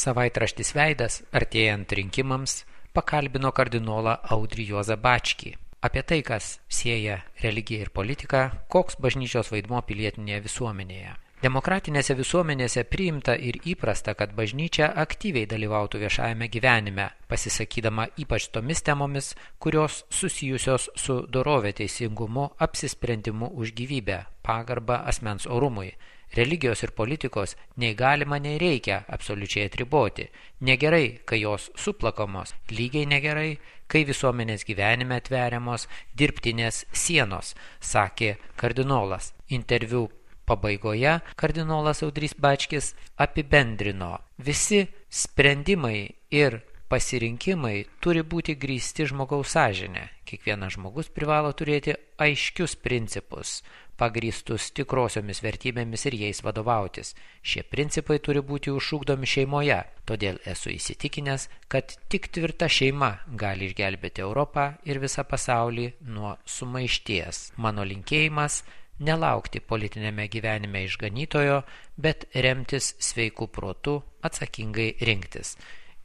Savaitraštis Veidas, artėjant rinkimams, pakalbino kardinolą Audrį Juozą Bačkį apie tai, kas sieja religiją ir politiką, koks bažnyčios vaidmuo pilietinėje visuomenėje. Demokratinėse visuomenėse priimta ir įprasta, kad bažnyčia aktyviai dalyvautų viešajame gyvenime, pasisakydama ypač tomis temomis, kurios susijusios su dorove, teisingumu, apsisprendimu už gyvybę, pagarbą asmens orumui. Religijos ir politikos nei galima, nei reikia absoliučiai atriboti. Negerai, kai jos suplakamos, lygiai negerai, kai visuomenės gyvenime atveriamos dirbtinės sienos, sakė kardinolas. Interviu pabaigoje kardinolas Audrys Bačkis apibendrino: visi sprendimai ir pasirinkimai turi būti grįsti žmogaus sąžine. Kiekvienas žmogus privalo turėti aiškius principus, pagrįstus tikrosiomis vertybėmis ir jais vadovautis. Šie principai turi būti užšūkdomi šeimoje, todėl esu įsitikinęs, kad tik tvirta šeima gali išgelbėti Europą ir visą pasaulį nuo sumaišties. Mano linkėjimas – nelaukti politinėme gyvenime išganytojo, bet remtis sveiku protu, atsakingai rinktis.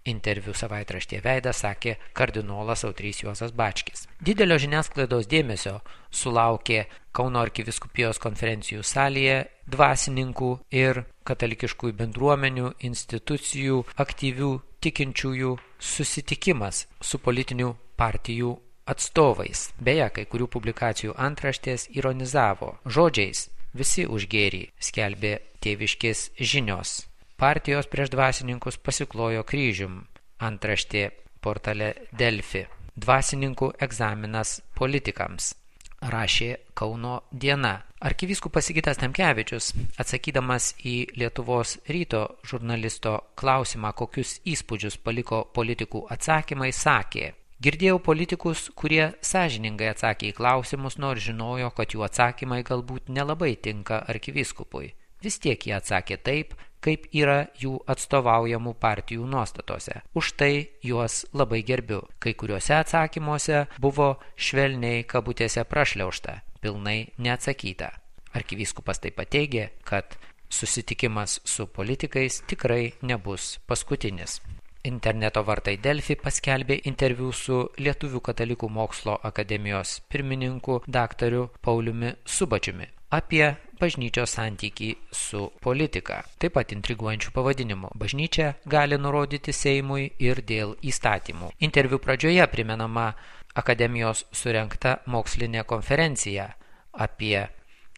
Interviu savaitraštyje Veidas sakė kardinolas Audrys Juozas Bačkis. Didelio žiniasklaidos dėmesio sulaukė Kauno arkivyskupijos konferencijų salėje dvasininkų ir katalikiškųjų bendruomenių, institucijų, aktyvių tikinčiųjų susitikimas su politinių partijų atstovais. Beje, kai kurių publikacijų antraštės ironizavo žodžiais: visi už gėrį, skelbė tėviškės žinios. Partijos prieš dvasininkus pasiklojo kryžium. Antraštė portale Delfi. Dvasininkų egzaminas politikams, rašė Kauno diena. Arkivyskupas Sigitas Tamkevičius, atsakydamas į Lietuvos ryto žurnalisto klausimą, kokius įspūdžius paliko politikų atsakymai, sakė: girdėjau politikus, kurie sąžiningai atsakė į klausimus, nors žinojo, kad jų atsakymai galbūt nelabai tinka arkivyskupui. Vis tiek jie atsakė taip, kaip yra jų atstovaujamų partijų nuostatose. Už tai juos labai gerbiu. Kai kuriuose atsakymuose buvo švelniai kabutėse prašliaužta, pilnai neatsakyta. Arkivyskupas taip pat teigė, kad susitikimas su politikais tikrai nebus paskutinis. Interneto vartai Delfi paskelbė interviu su Lietuvių katalikų mokslo akademijos pirmininku daktaru Pauliumi Subačiumi apie bažnyčios santykį su politika. Taip pat intriguojančių pavadinimų. Bažnyčia gali nurodyti Seimui ir dėl įstatymų. Interviu pradžioje primenama akademijos surengta mokslinė konferencija apie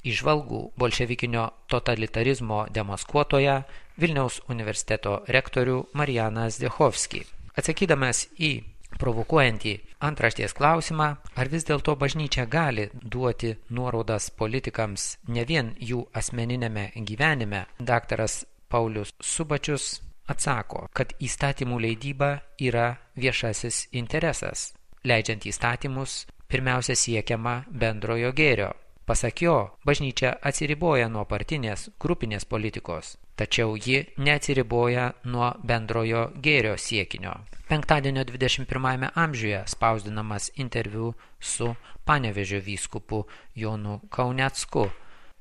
įžvalgų bolševikinio totalitarizmo demaskuotoją Vilniaus universiteto rektorių Marianą Zdechovskį. Atsakydamas į provokuojantį antraštės klausimą, ar vis dėlto bažnyčia gali duoti nuorodas politikams ne vien jų asmeninėme gyvenime, daktaras Paulius Subačius atsako, kad įstatymų leidyba yra viešasis interesas. Leidžiant įstatymus, pirmiausia siekiama bendrojo gėrio. Pasak jo, bažnyčia atsiriboja nuo partinės, grupinės politikos, tačiau ji neatsiriboja nuo bendrojo gėrio siekinio. Penktadienio 21 amžiuje spausdinamas interviu su Panevėžio vyskupu Jonu Kaunecku,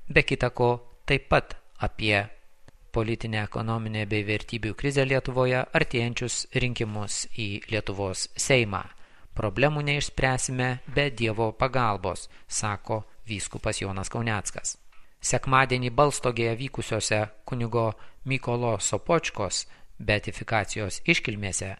be kita ko taip pat apie politinę, ekonominę bei vertybių krizę Lietuvoje, artėjančius rinkimus į Lietuvos Seimą. Problemų neišspręsime be Dievo pagalbos, sako vyskupas Jonas Kauneckas. Sekmadienį Balstogėje vykusiose kunigo Mykolo Sopočkos beatifikacijos iškilmėse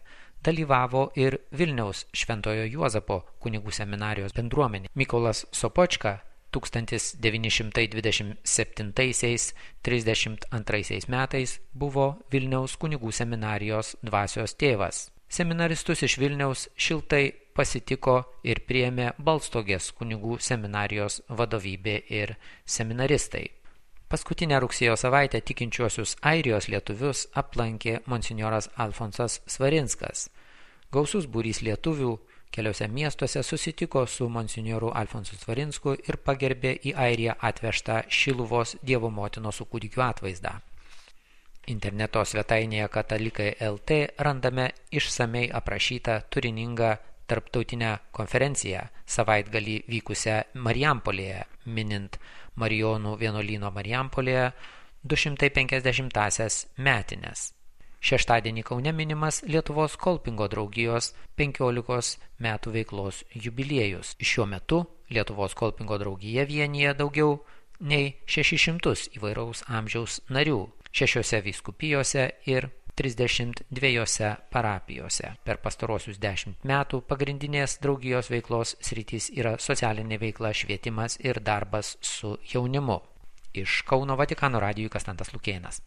dalyvavo ir Vilniaus Šventojo Juozapo kunigų seminarijos bendruomenė. Mykolas Sopočka 1927–32 metais buvo Vilniaus kunigų seminarijos dvasios tėvas. Seminaristus iš Vilniaus šiltai pasitiko ir priėmė Balstogės kunigų seminarijos vadovybė ir seminaristai. Paskutinę rugsėjo savaitę tikinčiuosius airijos lietuvius aplankė monsinjoras Alfonsas Svarinskas. Gausus būrys lietuvių keliose miestuose susitiko su monsinjoru Alfonsu Svarinsku ir pagerbė į Airiją atvežtą Šiluvos Dievo motinos su kūdikiu atvaizdą. Interneto svetainėje Katalikai LT randame išsamei aprašytą turiningą tarptautinę konferenciją savaitgalį vykusią Marijampolėje, minint Marijonų vienuolyno Marijampolėje 250-asias metines. Šeštadienį Kaune minimas Lietuvos kolpingo draugijos 15 metų veiklos jubiliejus. Šiuo metu Lietuvos kolpingo draugija vienyje daugiau nei 600 įvairaus amžiaus narių 6 vyskupijose ir 32 parapijose. Per pastarosius 10 metų pagrindinės draugijos veiklos sritys yra socialinė veikla, švietimas ir darbas su jaunimu. Iš Kauno Vatikano radijui Kastantas Lukėnas.